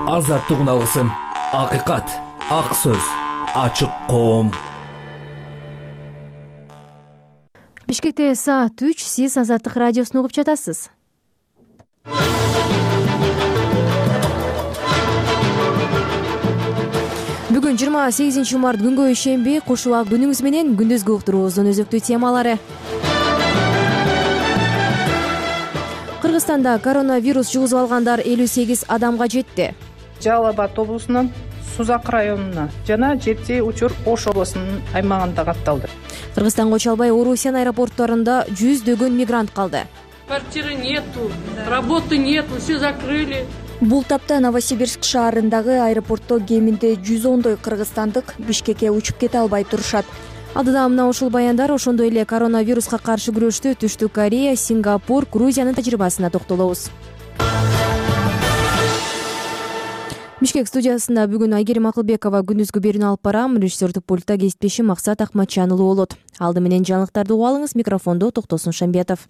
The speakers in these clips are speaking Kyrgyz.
Азаттыгын алгысым, акыйкат, ак сөз, ачык коом. Бишкекте саат 3, сиз Азаттык радиосун угуп жатасыз. Бүгүн 28 март күнгө ишемби, куш убак күнүңүз менен күндүзгү уктуруубуздун өзөктүү темалары. Кыргызстанда коронавирус жугузуп алгандар 58 адамга жетти. Жалал Абад облусунун Сузак районуна жана жети учур Ош облусунун аймагында катталды. Кыргызстанга уча албай Орусиян аэропорттарында жүздөгөн мигрант калды. Квартиры нету, работы нету, все закрыли. Бул тапта Новосибирск шаарындагы аэропортто кеминде 110дой кыргызстандык Бишкекке учуп кете албай турушат. Алдыда мына ушул баяндар, ошондой эле коронавируска каршы күрөштө Түштүк Корея, Сингапур, Грузиянын тажрыйбасына токтолобуз. Бишкек студиясында бүгүн Айгерим Акылбекова күндүзгү берүүнү алып барам. Режиссердик пультта кесиптешим Максат Акматжанұлы болот. Алды менен жаңылыктарды угуп алыңыз. Микрофондо Токтосун Шамбетов.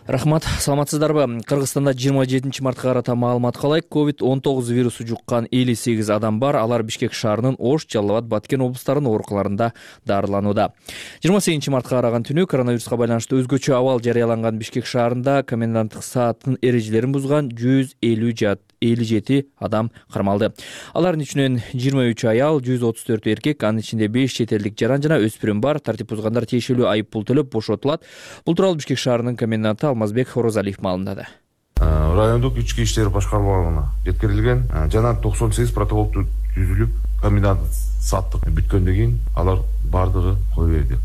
Рахмат, саламатсыздарбы? Кыргызстанда 27 мартка карата маалымат калайык. COVID-19 вирусу жуккан 58 адам бар. Алар Бишкек шаарынын Ош, Жалал Абад, Баткен облустарынын оорукаларында дарыланууда. 28 мартка караган түнү коронавируска байланыштуу өзгөчө абал жарыяланган Бишкек шаарында коменданттык сааттын эрежелерин бузган 157 адам кармалды. Алардын ичинен 23 аял, 134 эркек, анын ичинде 5 чет элдик жаран жана өспүрүм бар. Тартип бузгандар тиешелүү айып пул төлөп бошотулат. Бул тууралуу Бишкек шаарынын коменданты Алмазбек Хорозалиев маалымдады. Райондук ички иштер башкармалыгына жеткирилген жана 98 протокол түзүлүп, коменданттык сааттык бүткөндөн кийин алар бардыгы кое берди.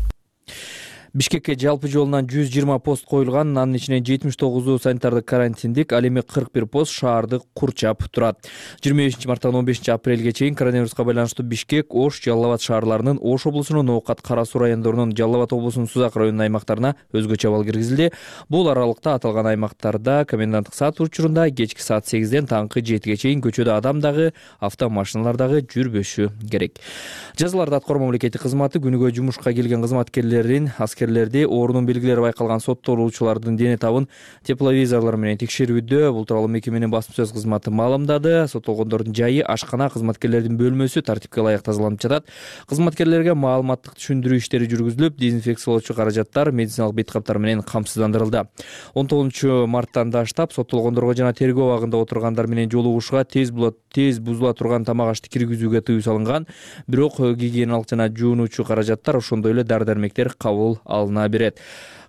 Бишкекке жалпы жолунан 120 пост коюлган, анын ичинен 79 санитардык карантиндик, ал эми 41 пост шаарды курчап турат. 25 марттан 15 апрелге чейин коронавируска байланыштуу Бишкек, Ош, Жалал Абад шаарларынын, Ош облусунун Ноокат, Кара Суу райондорунун, Жалал Абад облусунун Сузак районунун аймактарына өзгөчө абал киргизилди. Бул аралыкта аталган аймактарда коменданттык саат учурунда кечки саат 8ден таңкы 7ге чейин көчөдө адам дагы, автомашиналар дагы жүрбөшү керек. Жазаларды аткаруу мамлекеттик кызматы күнүгө жумушка келген кызматкерлерин, оорунун белгилери байкалган соттолуучулардын дене табын тепловизорлор менен текшерүүдө. Бул тууралуу мекеменин басма сөз кызматы маалымдады. Соттолгондордун жайы, ашкана, кызматкерлердин бөлмөсү тартипке ылайык тазаланып жатат. Кызматкерлерге маалыматтык түшүндүрүү иштери жүргүзүлүп, дезинфекциялоочу каражаттар, медициналык бет каптар менен камсыздандырылды. 19 марттан баштап соттолгондорго жана тергөө абагында отургандар менен жолугушууга, тез бузула турган тамак ашты киргизүүгө тыюу салынган. Бирок гигиеналык жана жуунуучу каражаттар, ошондой эле дары-дармектер кабыл алына берет.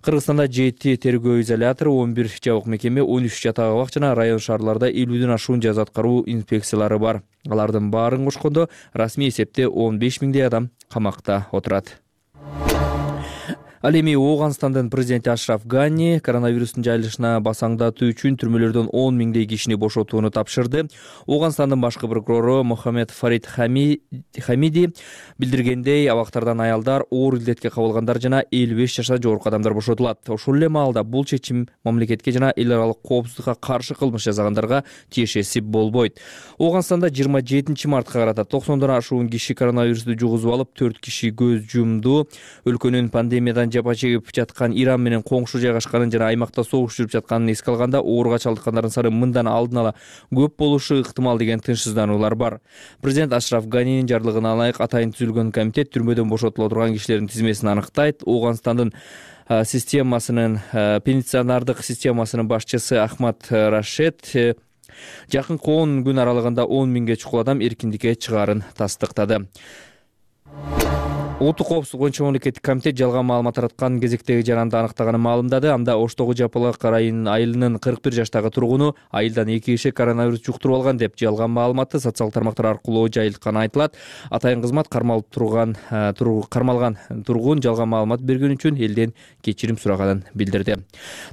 Кыргызстанда 7 тергөө изолятору, 11 жабык мекеме, 13 жатак абак жана район шаарларда 50ден ашуун жаза аткаруу инспекциялары бар. Алардын баарын кошкондо расмий эсепте 15 миңдей адам камакта отурат. Ал эми Ооганстандын президенти Ашраф Гани коронавирустун жайылышына басаңдатуу үчүн түрмөлөрдөн 10 миңдей кишини бошотууну тапшырды. Ооганстандын башкы прокурору Мохаммед Фарид Хамиди билдиргендей, абактардан аялдар, оор илдетке кабылгандар жана 55 жашка жогорку адамдар бошотулат. Ошол эле маалда бул чечим мамлекетке жана эл аралык коопсуздукка каршы кылмыш жасагандарга тиешеси болбойт. Ооганстанда 27 мартка карата 90дон ашуун киши коронавирусту жугузуп алып, 4 киши көз жумду. Өлкөнүн пандемиядан жапа чегип жаткан Иран менен коңшу жайгашканын жана аймакта согуш жүрүп жатканын эске алганда, ооруга чалдыккандардын саны мындан алдын ала көп болушу ыктымал деген тынчсыздануулар бар. Президент Ашраф Ганинин жарлыгына ылайык атайын түзүлгөн комитет түрмөдөн бошотула турган кишилердин тизмесин аныктайт. Ооганстандын пенитенциардык системасынын башчысы Ахмад Рашед жакынкы 10 күн аралыгында 10 миңге чукул адам эркиндикке чыгаарын тастыктады. Улуттук коопсуздук боюнча мамлекеттик комитет жалган маалымат тараткан кезектеги жаранды аныктаганын маалымдады. Анда Оштогу Жапалак айылынын 41 жаштагы тургуну айылдан 2 киши коронавирус жуктуруп алган деп жалган маалыматты социалдык тармактар аркылуу жайылтканы айтылат. Атайын кызмат кармалган тургун жалган маалымат берген үчүн элден кечирим сураганын билдирди.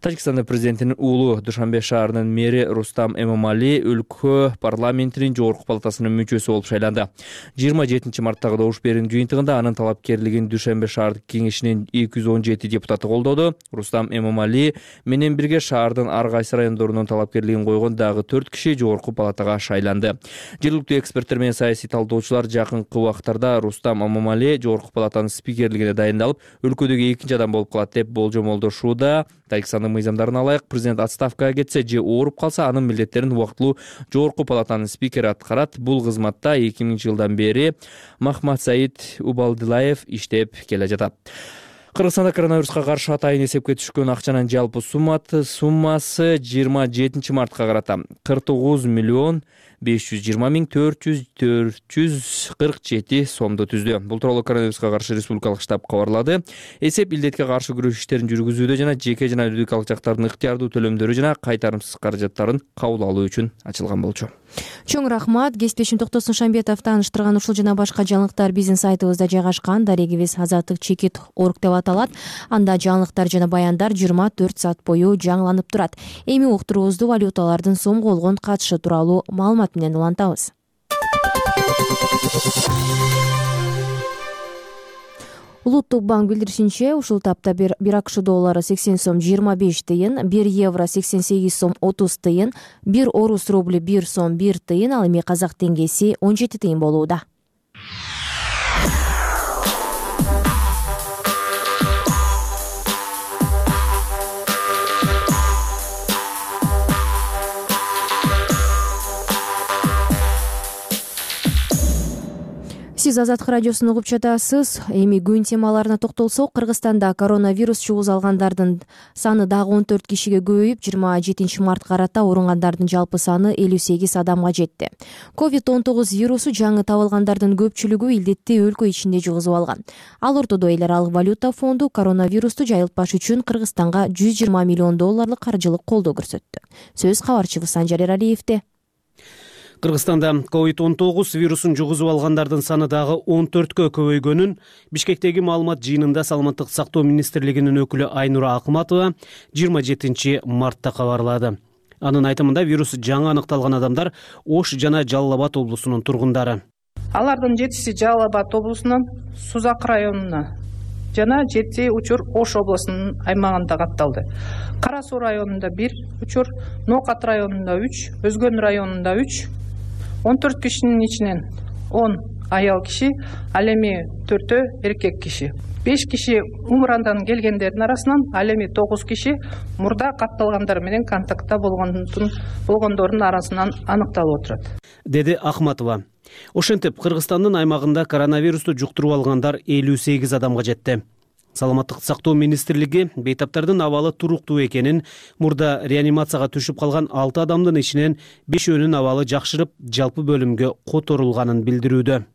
Тажикстандын президентинин уулу Душанбе шаарынын мэри Рустам Эмомали өлкө парламентинин жогорку палатасынын мүчөсү болуп шайланды. 27 марттагы добуш берүүнүн жыйынтыгында анын талап талапкерлигин Дүйшөмбө шаардык кеңешинин 217 депутаты колдоду. Рустам Эмомали менен бирге шаардын ар кайсы райондорунун талапкерлигин койгон дагы 4 киши жогорку палатага шайланды. Жергиликтүү эксперттер менен саясий талдоочулар жакынкы убактарда Рустам Эмомали жогорку палатанын спикерлигине дайындалып, өлкөдөгү экинчи адам болуп калат деп болжомолдошууда. Тариксандын мыйзамдарына ылайык президент отставкага кетсе же ооруп калса, анын милдеттерин убактылуу жогорку палатанын спикери аткарат. Бул кызматта 2000-жылдан бери Махматсаид Убалдылаев иштеп келе жатат. Кыргызстанда коронавируска каршы атайын эсепке түшкөн акчанын жалпы суммасы 27 мартка карата 49,520,447 сомду түздү. Бул тууралуу коронавируска каршы республикалык штаб кабарлады. Эсеп илдетке каршы күрөш иштерин жүргүзүүдө жана жеке жана юридикалык жактардын ыктыярдуу төлөмдөрү жана кайтарымсыз каражаттарын кабыл алуу үчүн ачылган болчу. Чоң рахмат. Кесиптешим Токтосун Шамбетов тааныштырган ушул жана башка жаңылыктар биздин сайтыбызда жайгашкан. Дарегибиз Азаттык чекит орг деп аталат. Анда жаңылыктар жана баяндар 24 саат бою жаңыланып турат. Эми уктуруубузду валюталардын сомго болгон катышы тууралуу маалымат менен улантабыз. Улуттук банк билдиришинче, ушул тапта бир АКШ доллары 80 сом 25 тыйын, 1 евро 88 сом 30 тыйын, 1 орус рубли 1 сом 1 тыйын, ал эми казак теңгеси 17 тыйын болууда. Сиз Азаттык радиосун угуп жатасыз. Эми күн темаларына токтолсок, Кыргызстанда коронавирус чугуз алгандардын саны дагы 14 кишиге көбөйүп, 27 мартка карата ооругандардын жалпы саны 58 адамга жетти. COVID-19 вирусу жаңы табылгандардын көпчүлүгү илдетти өлкө ичинде жугузуп алган. Ал ортодо эл аралык валюта фонду коронавирусту жайылтпаш үчүн Кыргызстанга 120 миллион долларлык каржылык колдоо көрсөттү. Сөз кабарчыбыз Санжар Эралиевде. Кыргызстанда COVID-19 вирусун жугузуп алгандардын саны дагы 14кө көбөйгөнүн Бишкектеги маалымат жыйынында Саламаттык сактоо министрлигинин өкүлү Айнура Акматова 27 мартта кабарлады. Анын айтымында вирус жаңы аныкталган адамдар Ош жана Жалал Абад облусунун тургундары. Алардын 7-си Жалал Абад облусунан Сузак районуна жана 7 учур Ош облусунун аймагында катталды. Кара Суу районунда 1 учур, Ноокат районунда 3, Өзгөн районунда 3, 14 кишинин ичинен 10 аял киши, ал эми 4 эркек киши. 5 киши Умрандан келгендердин арасынан, ал эми 9 киши мурда катталгандар менен контактта болгондордун арасынан аныкталып отурат, деди Ахматова. Ошентип, Кыргызстандын аймагында коронавирусту жуктуруп алгандар 58 адамга жетти. Саламаттык сактоо министрлиги бейтаптардын абалы туруктуу экенин, мурда реанимацияга түшүп калган 6 адамдын ичинен 5өөнүн абалы жакшырып, жалпы бөлүмгө которулганын билдирүүдө.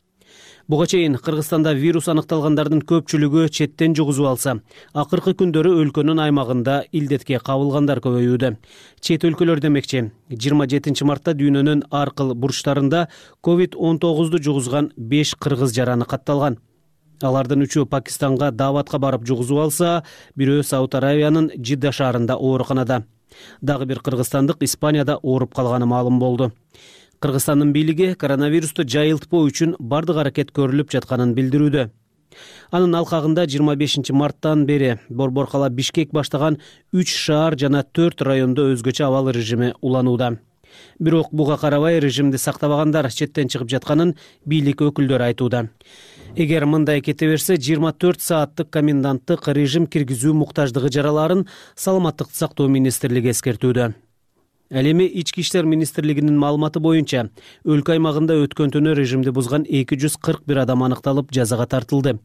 Буга чейин Кыргызстанда вирус аныкталгандардын көпчүлүгү четтен жугузуп алса, акыркы күндөрү өлкөнүн аймагында илдетке кабылгандар көбөйүүдө. Чет өлкөлөр демекчи, 27 мартта дүйнөнүн ар кыл бурчтарында COVID-19 жугузган 5 кыргыз жараны катталган. Алардын 3-ü Пакистанга дааватка барып жугузуп алса, бирөө Сауд Аравиянын Жидда шаарында ооруканада. Дагы бир кыргызстандык Испанияда ооруп калганы маалым болду. Кыргызстандын бийлиги коронавирусту жайылтпоо үчүн бардык аракет көрүлүп жатканын билдирүүдө. Анын алкагында 25 марттан бери Борбор-кала Бишкек баштаган 3 шаар жана 4 райондо өзгөчө абал режими уланууда. Бирок буга карабай режимди сактабагандар четтен чыгып жатканын бийлик өкүлдөрү айтууда. Эгер мындай кете берсе, 24 сааттык коменданттык режим киргизүү муктаждыгы жараларын Саламаттык сактоо министрлиги эскертүүдө. Ал эми Ички иштер министрлигинин маалыматы боюнча, өлкө аймагында өткөн түнү режимди бузган 241 адам аныкталып, жазага тартылды.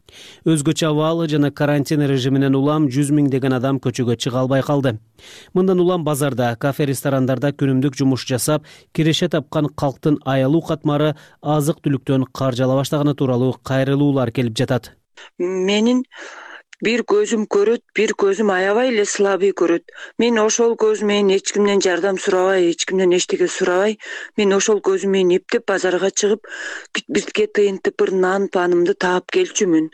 Өзгөчө абал жана карантин режиминен улам 100 миңдеген адам көчөгө чыга албай калды. Мындан улам базарда, кафе, ресторандарда күнүмдүк жумуш жасап, киреше тапкан калктын аялуу катмары азык түлүктөн каржала баштаганы тууралуу кайрылуулар келип жатат. Менин Бир көзүм көрөт, бир көзүм аябай эле слабый көрөт. Мен ошол көзүм менен эч кимден жардам сурабай, эч кимден эчтеке сурабай, мен ошол көзүм менен эптеп базарга чыгып, битке тыйынтып бир нан панымды таап келчүмүн.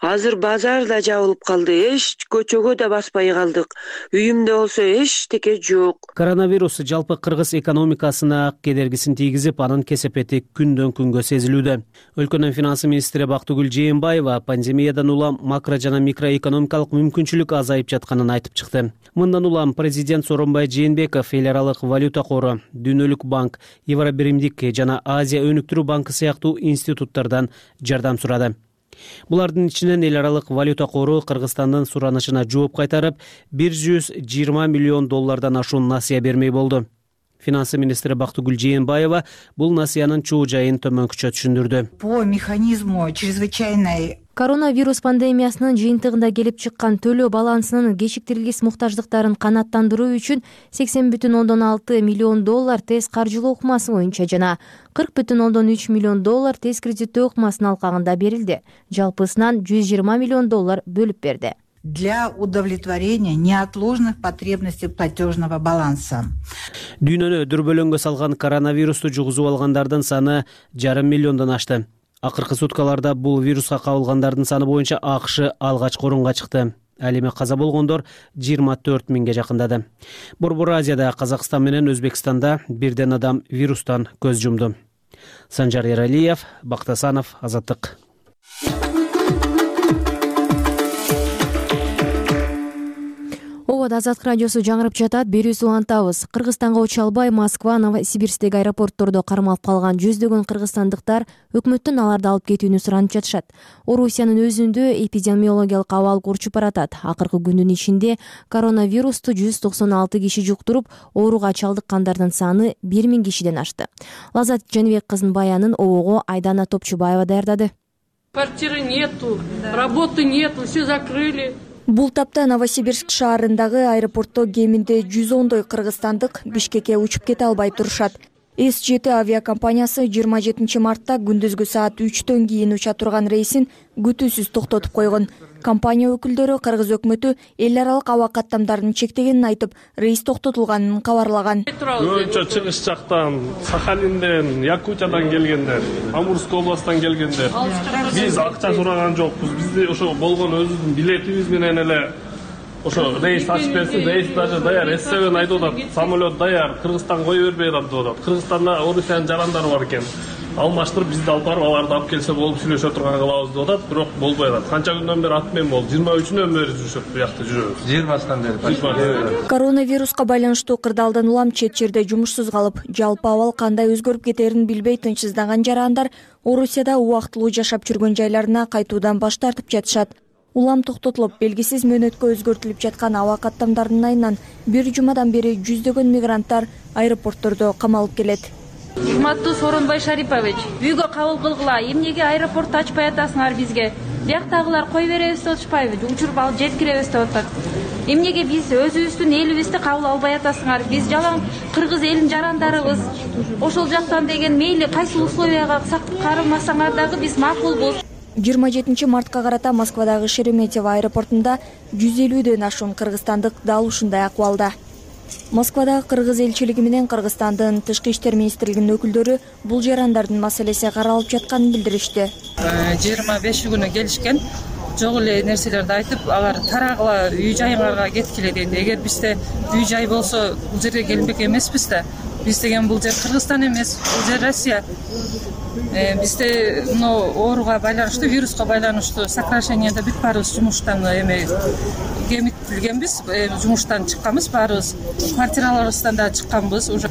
Азыр базар да жабылып калды, эч көчөгө да баспай калдык. Үйүмдө болсо эчтеке жок. Коронавирус жалпы кыргыз экономикасына кедергисин тийгизип, анын кесепети күндөн күнгө сезилүүдө. Өлкөнүн финансы министри Бактыгүл Жээнбаева пандемиядан улам макро жана микроэкономикалык мүмкүнчүлүк азайып жатканын айтып чыкты. Мындан улам президент Сооронбай Жээнбеков эл аралык валюта кору, Дүйнөлүк банк, Евробиримдик жана Азия өнүктүрүү банкы сыяктуу институттардан жардам сурады. Булардын ичинен эл аралык валюта кору Кыргызстандын суранышына жооп кайтарып, $120 миллион ашуун насыя бермей болду. Финансы министри Бактыгүл Жээнбаева бул насыянын чуу жайын төмөнкүчө түшүндүрдү. По механизму чрезвычайной Коронавирус пандемиясынын жыйынтыгында келип чыккан төлөө балансынын кечиктирилгис муктаждыктарын канааттандыруу үчүн $80,6 миллион тез каржылоо ыкмасы боюнча жана $40,3 миллион тез кредиттөө ыкмасынын алкагында берилди. Жалпысынан $120 миллион бөлүп берди. Для удовлетворения неотложных потребностей платежного баланса. Дүйнөнү дүрбөлөңгө салган коронавирусту жугузуп алгандардын саны 5,5 миллиондон ашты. Акыркы суткаларда бул вируска кабылгандардын саны боюнча АКШ алгачкы орунга чыкты. Ал эми каза болгондор 24 миңге жакындады. Борбор Азияда Казакстан менен Өзбекстанда бирден адам вирустан көз жумду. Санжар Эралиев, Бактасанов, Азаттык. Азаттык радиосу жаңырып жатат. Берүүсү улантабыз. Кыргызстанга уча албай Москва, Новосибирсктеги аэропорттордо кармалып калган жүздөгөн кыргызстандыктар өкмөттөн аларды алып кетүүнү суранып жатышат. Орусиянын өзүндө эпидемиологиялык абал курчуп баратат. Акыркы күндүн ичинде коронавирусту 196 киши жуктуруп, ооруга чалдыккандардын саны 1000 кишиден ашты. Лазат Жаныбек кызынын баянын ОООго Айдана Топчубаева даярдады. Квартиры нету, работы нету, все закрыли. Бул тапта Новосибирск шаарындагы аэропортто кеминде 110 кыргызстандык Бишкекке учуп кете албай турушат. С7 авиакомпаниясы 27 мартта күндүзгү саат 3төн кийин уча турган рейсин күтүүсүз токтотуп койгон. Компания өкүлдөрү кыргыз өкмөтү эл аралык аба каттамдарын чектегенин айтып, рейс токтотулганын кабарлаган. Көбүнчө чыгыш жактан, Сахалинден, Якутиядан келгендер, Амурской областтан келгендер. Биз акча сураган жокпуз. Бизде ошо болгон өзүбүздүн билетибиз менен эле ошо рейс ачып берсин, рейс даже даяр, С7 айтып атат, самолет даяр, Кыргызстан кое бербей атат деп атат. Кыргызстанда Орусиянын жарандары бар экен. Алмаштырып бизди алып барып, аларды алып келсе болуп сүйлөшө турган кылабыз деп атат, бирок болбой атат. Канча күндөн бери атмен болду, 23-үнөн бери жүрүшөт, буякта жүрөбүз. Жер баскан бери. Коронавируска байланыштуу кырдаалдан улам чет жерде жумушсуз калып, жалпы абал кандай өзгөрүп кетерин билбей тынчсыздаган жарандар Орусияда убактылуу жашап жүргөн жайларына кайтуудан баш тартып жатышат. Улам токтотулуп, белгисиз мөөнөткө өзгөртүлүп жаткан аба каттамдарынын айынан бир жумадан бери жүздөгөн мигранттар аэропорттордо камалып келет. Урматтуу Сооронбай Шарипович, үйгө кабыл кылгыла, эмнеге аэропортду ачпай атасыңар бизге? Бияктагылар кой беребиз деп атышпайбы? Учуруп алып жеткиребиз деп атат. Эмнеге биз өзүбүздүн элибизди кабыл албай атасыңар? Биз жалаң кыргыз элинин жарандарыбыз. Ошол жактан деген мейли кайсы условияга карамасаңар дагы биз макулбуз. 27 мартка карата Москвадагы Шереметьево аэропортунда 150ден ашуун кыргызстандык дал ушундай акыбалда. Москвадагы кыргыз элчилиги менен Кыргызстандын Тышкы иштер министрлигинин өкүлдөрү бул жарандардын маселеси каралып жатканын билдиришти. 25 келишкен, жок эле нерселерди айтып, алар тарагыла үй жайыңарга кеткиле дейт. Эгер бизде үй жай болсо, бул жерге келбек эмеспиз да. Биз деген бул жер Кыргызстан эмес, бул жер Россия. Бизде ооруга байланыштуу, вируска байланыштуу сокращениеде бүт баарыбыз жумуштан кемитилгенбиз, жумуштан чыкканбыз баарыбыз. Квартираларыбыздан да чыкканбыз. Уже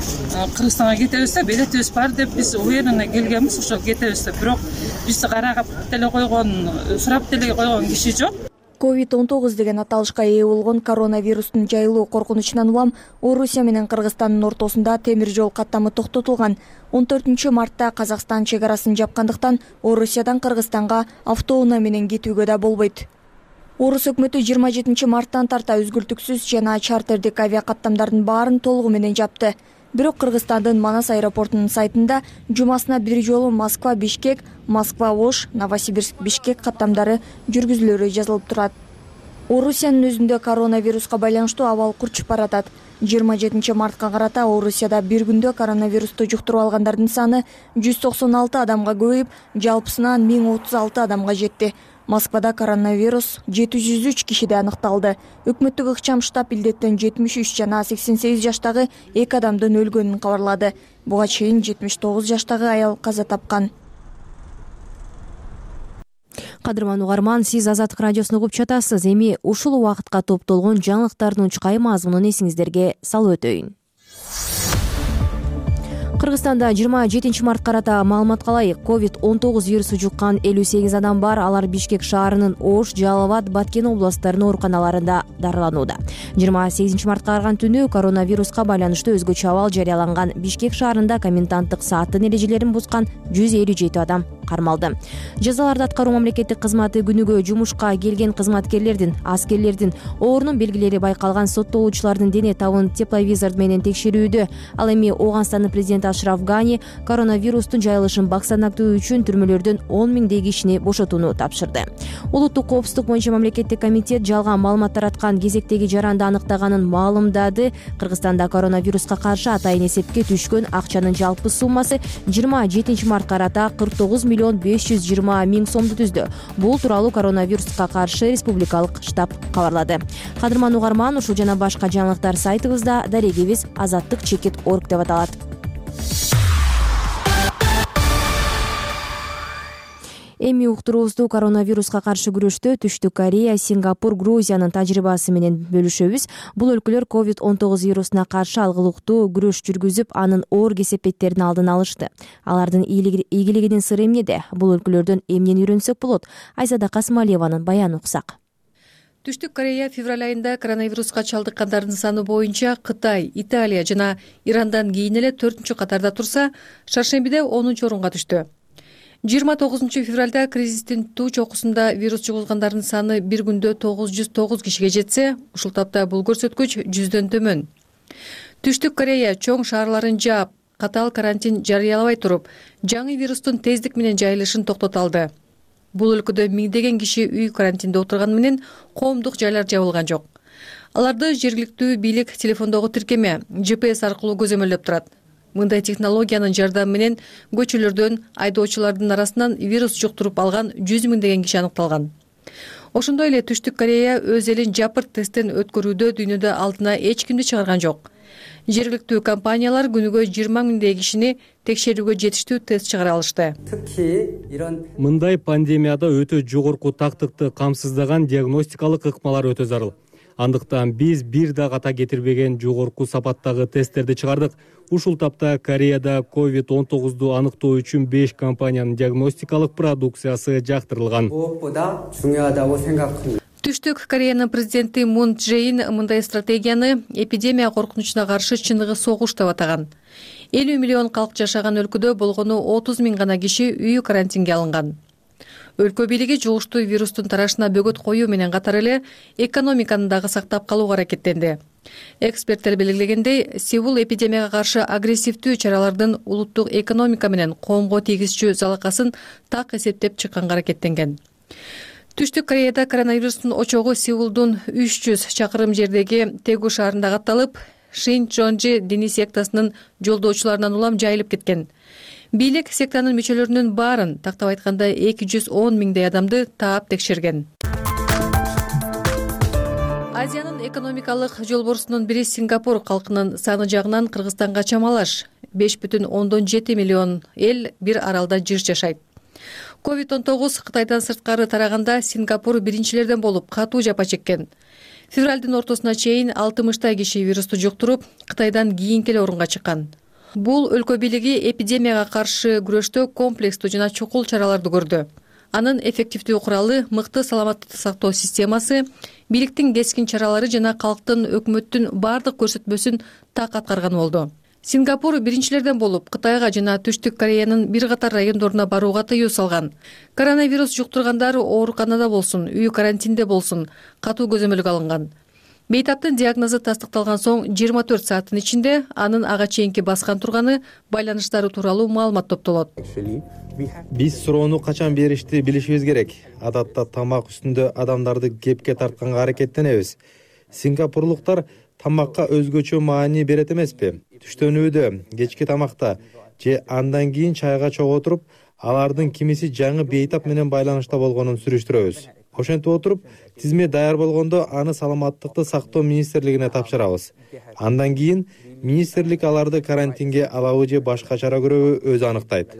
Кыргызстанга кетебиз деп, билетибиз бар деп биз уверенно келгенбиз, ошо кетебиз деп. Бирок бизди карап деле койгон, сурап деле койгон киши жок. COVID-19 деген аталышка ээ болгон коронавирустун жайылуу коркунучунан улам Орусия менен Кыргызстандын ортосунда темир жол каттамы токтотулган. 14 мартта Казакстан чек арасын жапкандыктан Орусиядан Кыргызстанга автоунаа менен кетүүгө да болбойт. Орус өкмөтү 27 марттан тарта үзгүлтүксүз жана чартердик авиакаттамдардын баарын толугу менен жапты. Бирок Кыргызстандын Манас аэропортунун сайтында жумасына бир жолу Москва-Бишкек, Москва-Ош, Новосибирск-Бишкек каттамдары жүргүзүлөрү жазылып турат. Орусиянын өзүндө коронавируска байланыштуу абал курчуп баратат. 27 мартка карата Орусияда бир күндө коронавирусту жуктуруп алгандардын саны 196 адамга көбөйүп, жалпысынан 1036 адамга жетти. Москвада коронавирус 703 кишиде аныкталды. Өкмөттүк ыкчам штаб илдеттен 73 жана 88 жаштагы 2 адамдын өлгөнүн кабарлады. Буга чейин 79 жаштагы аял каза тапкан. Кадырман угарман, сиз Азаттык радиосун угуп жатасыз. Эми ушул убакытка топтолгон жаңылыктардын чукай мазмунун эсиңиздерге салып өтөйүн. Кыргызстанда 27 март карата маалымат калайык. COVID-19 вирусу жуккан 58 адам бар. Алар Бишкек шаарынын Ош, Жалал-Абад, Баткен областтарынын ооруканаларында дарыланууда. 28 мартка барган түнү коронавируска байланыштуу өзгөчө абал жарыяланган Бишкек шаарында коменданттык сааттын эрежелерин бузган 157 адам кармалды. Жазаларды аткаруу мамлекеттик кызматы күнүгө жумушка келген кызматкерлердин, аскерлердин оорунун белгилери байкалган соттолуучулардын дене табын тепловизор менен текшерүүдө. Ал эми Ооганстандын президенти Ашраф Гани коронавирустун жайылышын баксанактоо үчүн түрмөлөрдөн 10 миңдей кишини бошотууну тапшырды. Улуттук коопсуздук боюнча мамлекеттик комитет жалган маалымат тараткан кезектеги жаранды аныктаганын маалымдады. Кыргызстанда коронавируска каршы атайын эсепке түшкөн акчанын жалпы суммасы 27 март карата 49 миллион 520 миң сомду түздү. Бул тууралуу коронавируска каршы республикалык штаб кабарлады. Кадырман угарман, ушул жана башка жаңылыктар сайтыбызда, дарегибиз azattik.org деп аталат. Эми уктуруубузду коронавируска каршы күрөштө Түштүк Корея, Сингапур, Грузиянын тажрыйбасы менен бөлүшөбүз. Бул өлкөлөр COVID-19 вирусуна каршы алгылыктуу күрөш жүргүзүп, анын оор кесепеттерин алдын алышты. Алардын ийгилигинин сыры эмнеде? Бул өлкөлөрдөн эмнени үйрөнсөк болот? Айзада Касымалиеванын баянын уксак. Түштүк Корея февраль айында коронавируска чалдыккандардын саны боюнча Кытай, Италия жана Ирандан кийин эле 4-чү катарда турса, шаршембиде 10-чу орунга түштү. 29 февралда кризистин туу чокусунда вирус жугузгандардын саны бир күндө 909 кишиге жетсе, ушул тапта бул көрсөткүч 100дөн төмөн. Түштүк Корея чоң шаарларын жаап, катаал карантин жарыялабай туруп, жаңы вирустун тездик менен жайылышын токтото алды. Бул өлкөдө миңдеген киши үй карантинде отурганы менен коомдук жайлар жабылган жок. Аларды жергиликтүү бийлик телефондогу тиркеме GPS аркылуу көзөмөлдөп турат. Мындай технологиянын жардамы менен көчөлөрдөн айдоочулардын арасынан вирус жуктуруп алган 100 миңдеген киши аныкталган. Ошондой эле Түштүк Корея өз элин жапырт тесттен өткөрүүдө дүйнөдө алдына эч кимди чыгарган жок. Жергиликтүү компаниялар күнүгө 20 миңдей кишини текшерүүгө жетиштүү тест чыгара алышты. Мындай пандемияда өтө жогорку тактыкты камсыздаган диагностикалык ыкмалар өтө зарыл. Андыктан биз бир да ката кетирбеген жогорку сапаттагы тесттерди чыгардык. Ушул тапта Кореяда COVID-19 аныктоо үчүн 5 компаниянын диагностикалык продукциясы жактырылган. Түштүк Кореянын президенти Мун Чже Ин мындай стратегияны эпидемия коркунучуна каршы чыныгы согуш деп атаган. 50 миллион калк жашаган өлкөдө болгону 30 миң гана киши үй карантинге алынган. Өлкө бийлиги жугуштуу вирустун тарашына бөгөт коюу менен катар эле экономиканы дагы сактап калууга аракеттенди. Эксперттер белгилегендей, Сеул эпидемияга каршы агрессивдүү чаралардын улуттук экономика менен коомго тийгизчү залакасын так эсептеп чыкканга аракеттенген. Түштүк Кореяда коронавирустун очогу Сеулдун 300 чакырым жердеги Тегу шаарында катталып, Шинчонжи диний сектасынын жолдоочуларынан улам жайылып кеткен. Бийлик сектанын мүчөлөрүнүн баарын, тактап айтканда 210 миңдей адамды таап текшерген. Азиянын экономикалык жолборсунун бири Сингапур калкынын саны жагынан Кыргызстанга чамалаш 5,7 миллион эл бир аралда жыш жашайт. COVID-19 Кытайдан сырткары тараганда Сингапур биринчилерден болуп катуу жапа чеккен. Февралдын ортосуна чейин 60 киши вирусту жуктуруп, Кытайдан кийинки эле орунга чыккан. Бул өлкө бийлиги эпидемияга каршы күрөштө комплекстүү жана чукул чараларды көрдү. Анын эффективдүү куралы мыкты саламаттыкты сактоо системасы, бийликтин кескин чаралары жана калктын өкмөттүн бардык көрсөтмөсүн так аткарган болду. Сингапур биринчилерден болуп Кытайга жана Түштүк Кореянын бир катар райондоруна барууга тыюу салган. Коронавирус жуктургандар ооруканада болсун, үй карантинде болсун, катуу көзөмөлгө алынган. Бейтаптын диагнозу тастыкталган соң 24 сааттын ичинде анын ага чейинки баскан турганы, байланыштары тууралуу маалымат топтолот. Биз суроону качан беришти билишибиз керек. Адатта тамак үстүндө адамдарды кепке тартканга аракеттенебиз. Сингапурлуктар тамакка өзгөчө маани берет эмеспи? Түштөнүүдө, кечки тамакта же андан кийин чайга чогуу отуруп, алардын кимиси жаңы бейтап менен байланышта болгонун сүрүштүрөбүз. Ошентип отуруп, тизме даяр болгондо аны Саламаттыкты сактоо министрлигине тапшырабыз. Андан кийин министрлик аларды карантинге алабы же башка чара көрөбү өзү анықтайт.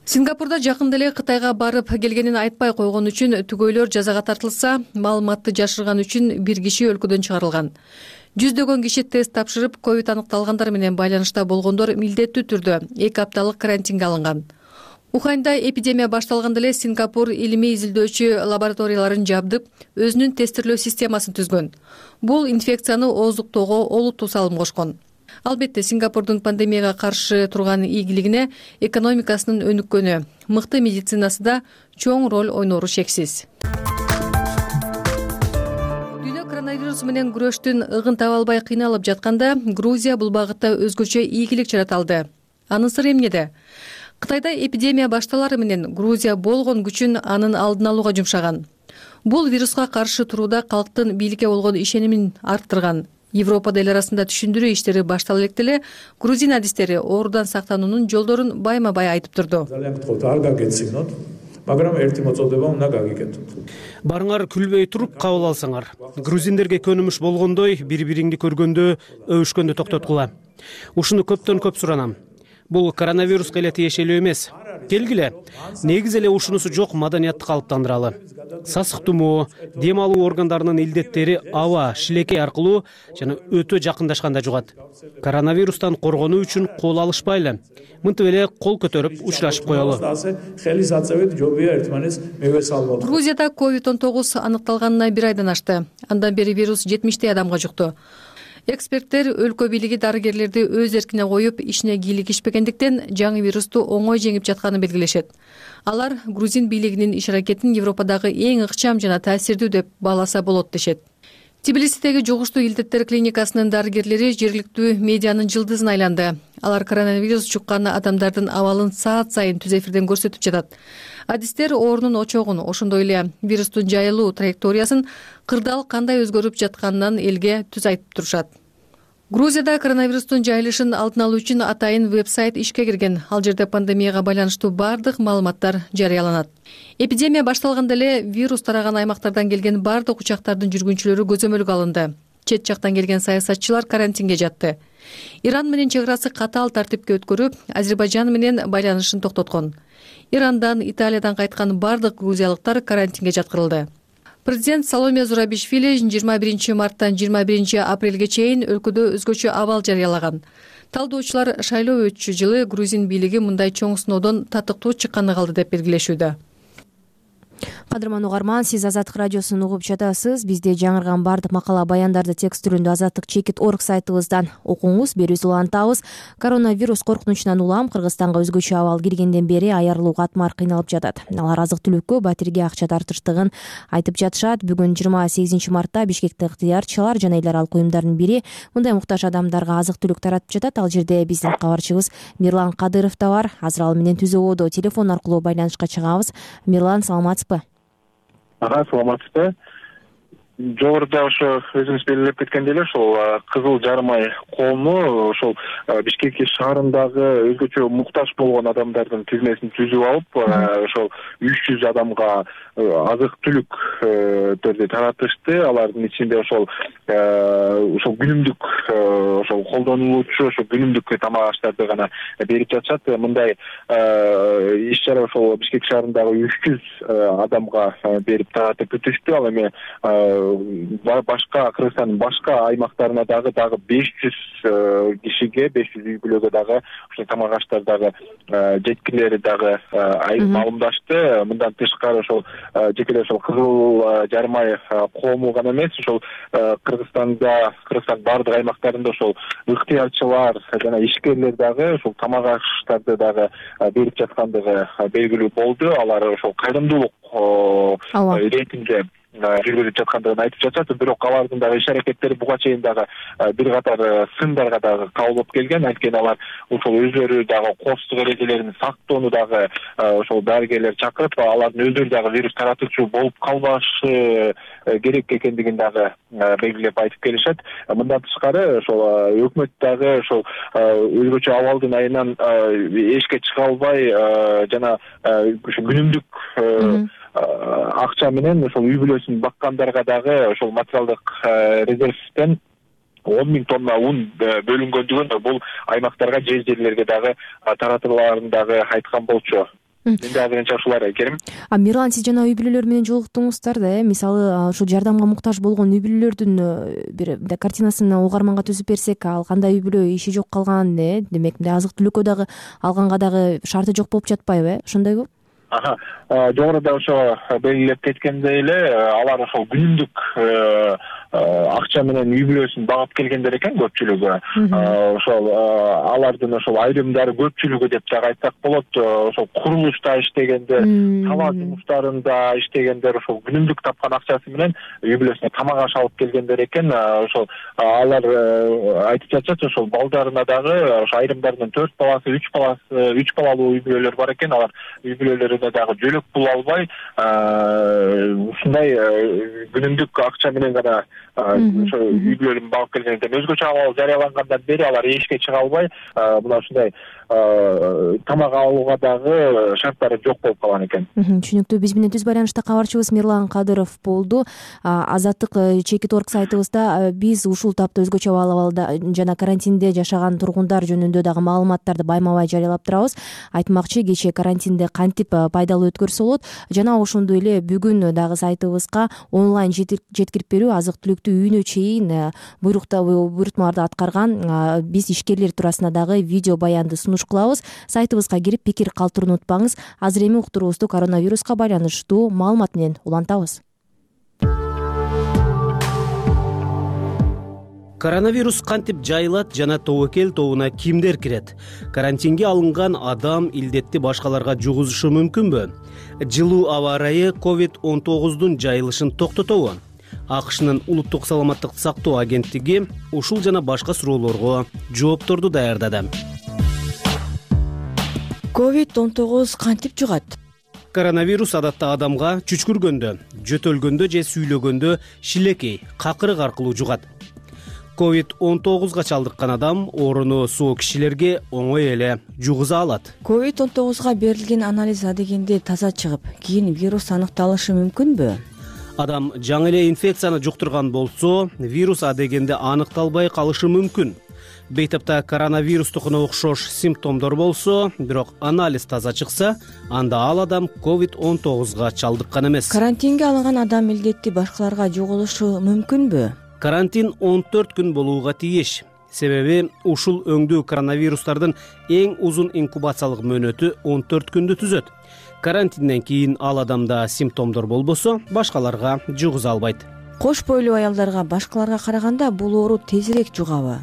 Сингапурда жакында эле Кытайга барып келгенин айтпай койгон үчүн түгөйлөр жазага тартылса, маалыматты жашырган үчүн бир киши өлкөдөн чыгарылган. Жүздөгөн киши тест тапшырып, ковид аныкталгандар менен байланышта болгондор милдеттүү түрдө 2 апталык карантинге алынган. Уханьда эпидемия башталганда эле Сингапур илимий изилдөөчү лабораторияларын жабдып, өзүнүн тестирлөө системасын түзгөн. Бул инфекцияны ооздуктоого олуттуу салым кошкон. Албетте, Сингапурдун пандемияга каршы турган ийгилигине экономикасынын өнүккөнү, мыкты медицинасы да чоң роль ойнору шексиз. Коронавирус менен күрөштүн ыгын таба албай кыйналып жатканда, Грузия бул багытта өзгөчө ийгилик жарата алды. Анын сыры эмнеде? Кытайда эпидемия башталары менен Грузия болгон күчүн анын алдын алууга жумшаган. Бул вируска каршы турууда калктын бийликке болгон ишенимин арттырган. Европада эл арасында түшүндүрүү иштери баштала электе эле грузин адистери оорудан сактануунун жолдорун байма-бай айтып турду. Барыңар күлбөй туруп кабыл алсаңар. Грузиндерге көнүмүш болгондой бири-бириңди көргөндө өбүшкөндү токтоткула. Ушуну көптөн көп суранам. Бул коронавируска эле тиешелүү эмес. Келгиле, негизи эле ушунусу жок маданиятты калыптандыралы. Сасык тумоо, дем алуу органдарынын илдеттери аба, шилекей аркылуу жана өтө жакындашканда жугат. Коронавирустан коргонуу үчүн кол алышпайлы. Мынтип эле кол көтөрүп учурашып коелу. Грузияда COVID-19 аныкталганына 1 айдан ашты. Андан бери вирус 70 адамга жукту. Эксперттер өлкө бийлиги дарыгерлерди өз эркине коюп, ишине кийлигишпегендиктен жаңы вирусту оңой жеңип жатканын белгилешет. Алар грузин бийлигинин иш аракетин Европадагы эң ыкчам жана таасирдүү деп бааласа болот дешет. Тбилисидеги жугуштуу илдеттер клиникасынын дарыгерлери жергиликтүү медианын жылдызына айланды. Алар коронавирус жуккан адамдардын абалын саат сайын түз эфирден көрсөтүп жатат. Адистер оорунун очогун, ошондой эле вирустун жайылуу траекториясын кырдаал кандай өзгөрүп жатканынан элге түз айтып турушат. Грузияда коронавирустун жайылышын алдын алуу үчүн атайын веб-сайт ишке кирген. Ал жерде пандемияга байланыштуу бардык маалыматтар жарыяланат. Эпидемия башталганда эле вирус тараган аймактардан келген бардык учактардын жүргүнчүлөрү көзөмөлгө алынды. Чет жактан келген саясатчылар карантинге жатты. Иран менен чек арасы катаал тартипке өткөрүп, Азербайжан менен байланышын токтоткон. Ирандан, Италиядан кайткан бардык грузиялыктар карантинге жаткырылды. Президент Саломе Зурабишвили 21 марттан 21 апрелге чейин өлкөдө өзгөчө абал жарыялаган. Талдоочулар шайлоо өтчү жылы грузин бийлиги мындай чоң сыноодон татыктуу чыкканы калды деп белгилешүүдө. Кадырман угарман, сиз Азаттык радиосун угуп жатасыз. Бизде жаңырган бардык макала баяндарды текст түрүндө azattik.org сайтыбыздан окуңуз, берүүбүздү улантабыз. Коронавирус коркунучунан улам Кыргызстанга өзгөчө абал киргенден бери аярылуу катмар кыйналып жатат. Алар азык-түлүккө, батирге акча тартыштыгын айтып жатышат. Бүгүн 28 мартта Бишкекте ыктыярчылар жана эл аралык уюмдардын бири мындай муктаж адамдарга азык-түлүк таратып жатат. Ал жерде биздин кабарчыбыз Мирлан Кадыров да бар. Азыр ал менен түз ободо телефон аркылуу байланышка чыгабыз. Мирлан, саламатсызбы? Саламатсызбы. Жогоруда ошо өзүңүз белгилеп кеткендей эле ошол Кызыл Жармай коому ошол Бишкек шаарындагы өзгөчө муктаж болгон адамдардын тизмесин түзүп алып, ошол 300 адамга азык-түлүктөрдү таратышты. Алардын ичинде ошол күнүмдүк ошол колдонулуучу ошол күнүмдүк тамак аштарды гана берип жатышат. Мындай иш-чара ошол Бишкек шаарындагы 300 адамга берип таратып бүтүштү. Ал эми башка Кыргызстандын башка аймактарына дагы 500 кишиге, 500 үй бүлөгө дагы ошол тамак аштар дагы жеткилери дагы маалымдашты. Мындан тышкары ошол жеке ошол Кызыл Жармай коому гана эмес, ошол Кыргызстан бардык аймактарында ошол ыктыярчылар жана ишкерлер дагы ошол тамак аштарды дагы берип жаткандыгы белгилүү болду. Алар ошол кайрымдуулук иретинде жүргүзүп жаткандыгын айтып жатат. Бирок алардын дагы иш аракеттери буга чейин дагы бир катар сындарга дагы кабыл болуп келген. Анткени алар ошол өздөрү дагы коопсуздук эрежелерин сактоону дагы ошол дарыгерлер чакырып, алардын өздөрү дагы вирус таратуучу болуп калбашы керек экендигин дагы белгилеп айтып келишет. Мындан тышкары ошол өкмөт дагы ошол өзгөчө абалдын айынан эшикке чыга албай жана ушу күнүмдүк акча менен ошол үй бүлөсүн баккандарга дагы ошол материалдык резервден 10 000 тонна ун бөлүнгөндүгүн бул аймактарга, жерлерге дагы таратууларын дагы айткан болчу. Менде азырынча ушулар Керим. Мирлан, сиз жана үй бүлөлөр менен жолуктуңуздар да, мисалы ушул жардамга муктаж болгон үй бүлөлөрдүн бир картинасын угарманга түзүп берсек, ал кандай үй бүлө иши жок калган, демек азык түлүккө дагы алганга дагы шарты жок болуп жатпайбы, ошондойбу? Жогоруда ошо белгилеп кеткендей эле, алар ошол күнүмдүк акча менен үй бүлөсүн багып келгендер экен көпчүлүгү. Ошол алардын ошол айрымдары, көпчүлүгү деп дагы айтсак болот, ошол курулушта иштегендер, талаа жумуштарында иштегендер ошол күнүмдүк тапкан акчасы менен үй бүлөсүнө тамак аш алып келгендер экен. Ошол алар айтып жатышат, ошол балдарына дагы ошо айрымдардын 4 баласы, 3 балалуу үй бүлөлөр бар экен. Алар үй бүлөлөрүнө дагы жөлөк пул албай, ушундай күнүмдүк акча менен гана ошо үй бүлөлөрүн багып келгенден өзгөчө абал жарыялангандан бери алар эшикке чыга албай, мына ушундай тамак алууга дагы шарттары жок болуп калган экен. Түшүнүктүү. Биз менен түз байланышта кабарчыбыз Мирлан Кадыров болду. Азаттык Чекит.org сайтыбызда биз ушул тапта өзгөчө абалда жана карантинде жашаган тургундар жөнүндө дагы маалыматтарды байма-бай жарыялап турабыз. Айтмакчы, кечээ карантинде кантип пайдалуу өткөрсө болот жана ошондой эле бүгүн дагы сайтыбызга онлайн жеткирип берүү, азык түлүктү үйүнө чейин буйрутмаларды аткарган биз ишкерлер туурасында дагы видео баянды сунуш кылабыз. Сайтыбызга кирип пикир калтырууну унутпаңыз. Азыр эми уктуруубузду коронавируска байланыштуу маалымат менен улантабыз. Коронавирус кантип жайылат жана тобокел тобуна кимдер кирет? Карантинге алынган адам илдетти башкаларга жугузушу мүмкүнбү? Жылуу аба ырайы COVID-19 жайылышын токтотобу? АКШнын улуттук саламаттык сактоо агенттиги ушул жана башка суроолорго жоопторду даярдады. COVID-19 кантип жугат? Коронавирус адатта адамга чүчкүргөндө, жөтөлгөндө же сүйлөгөндө шилекей, какырык аркылуу жугат. COVID-19 чалдыккан адам ооруну соо кишилерге оңой эле жугуза алат. COVID-19 берилген анализ адегенде таза чыгып, кийин вирус аныкталышы мүмкүнбү? Адам жаңы эле инфекцияны жуктурган болсо, вирус адегенде аныкталбай калышы мүмкүн. Бейтапта коронавирустукуна окшош симптомдор болсо, бирок анализ таза чыкса, анда ал адам COVID-19 чалдыккан эмес. Карантинге алынган адам илдетти башкаларга жугузушу мүмкүнбү? Карантин 14 күн болууга тийиш. Себеби ушул өңдүү коронавирустардын эң узун инкубациялык мөөнөтү 14 күндү түзөт. Карантинден кийин ал адамда симптомдор болбосо, башкаларга жугуза албайт. Кош бойлуу аялдарга башкаларга караганда бул оору тезирээк жугабы?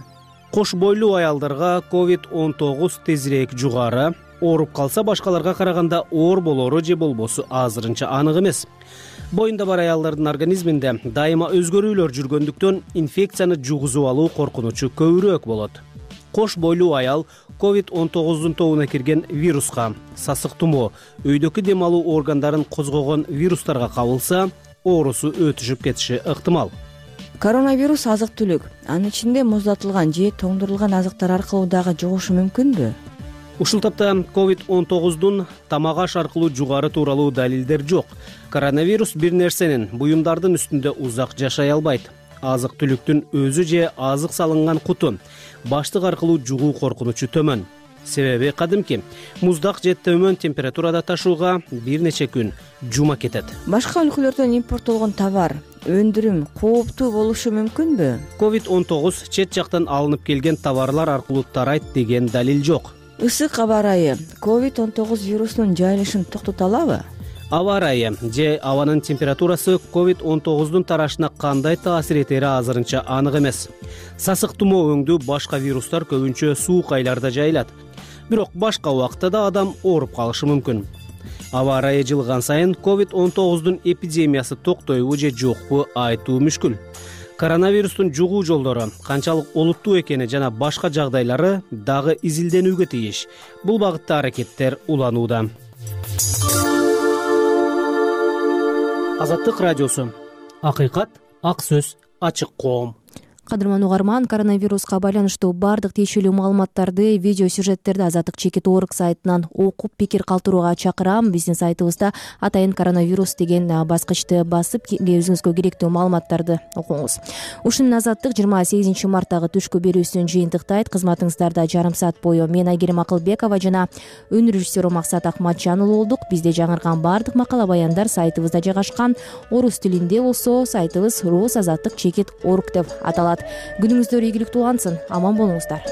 Кош бойлуу аялдарга COVID-19 тезирээк жугары. Ооруп калса башкаларга караганда оор болору же болбосу азырынча анык эмес. Боюнда бар аялдардын организминде дайыма өзгөрүүлөр жүргөндүктөн инфекцияны жугузуп алуу коркунучу көбүрөөк болот. Кош бойлуу аял COVID-19 тобуна кирген вируска, сасык тумоо, өйдөгү дем алуу органдарын козгогон вирустарга кабылса, оорусу өтүшүп кетиши ыктымал. Коронавирус азык түлүк, анын ичинде муздатылган же тоңдурулган азыктар аркылуу дагы жугушу мүмкүнбү? Ушул тапта COVID-19 тамак аш аркылуу жугары тууралуу далилдер жок. Коронавирус бир нерсенин, буюмдардын үстүндө узак жашай албайт. Азык түлүктүн өзү же азык салынган куту, баштык аркылуу жугуу коркунучу төмөн. Себеби кадимки муздак же төмөн температурада ташууга бир нече күн жума кетет. Башка өлкөлөрдөн импорттолгон товар, өндүрүм кооптуу болушу мүмкүнбү? COVID-19 чет жактан алынып келген товарлар аркылуу тарайт деген далил жок. Ысык аба ырайы COVID-19 вирусунун жайылышын токтото алабы? Аба ырайы же абанын температурасы COVID-19 тарашына кандай таасир этери азырынча анык эмес. Сасык тумоо өңдүү башка вирустар көбүнчө суук айларда жайылат. Бирок башка убакытта да адам ооруп калышы мүмкүн. Аба ырайы жылган сайын COVID-19 эпидемиясы токтойбу же жокпу айтуу мүшкүл. Коронавирустун жугуу жолдору канчалык олуттуу экени жана башка жагдайлары дагы изилденүүгө тийиш. Бул багытта аракеттер уланууда. Азаттык радиосу. Акыйкат, ак сөз, ачык коом. Кадырман угарман, коронавируска байланыштуу бардык тиешелүү маалыматтарды, видео сюжеттерди Азаттык чекит.org сайтынан окуп пикир калтырууга чакырам. Биздин сайтыбызда атайын коронавирус деген баскычты басып, өзүңүзгө керектүү маалыматтарды окуңуз. Ушунун Азаттык 28 марттагы түшкү берүүсүн жыйынтыктайт. Кызматыңыздарда жарым саат бою мен Айгерим Акылбекова жана өн режиссеру Максат Акматжан уулу болдук. Бизде жаңырган бардык макала баяндар сайтыбызда жайгашкан. Орус тилинде болсо сайтыбыз rus.azattik.org деп аталат. Күнүңүздөр ийгиликтүү улансын. Аман болуңуздар.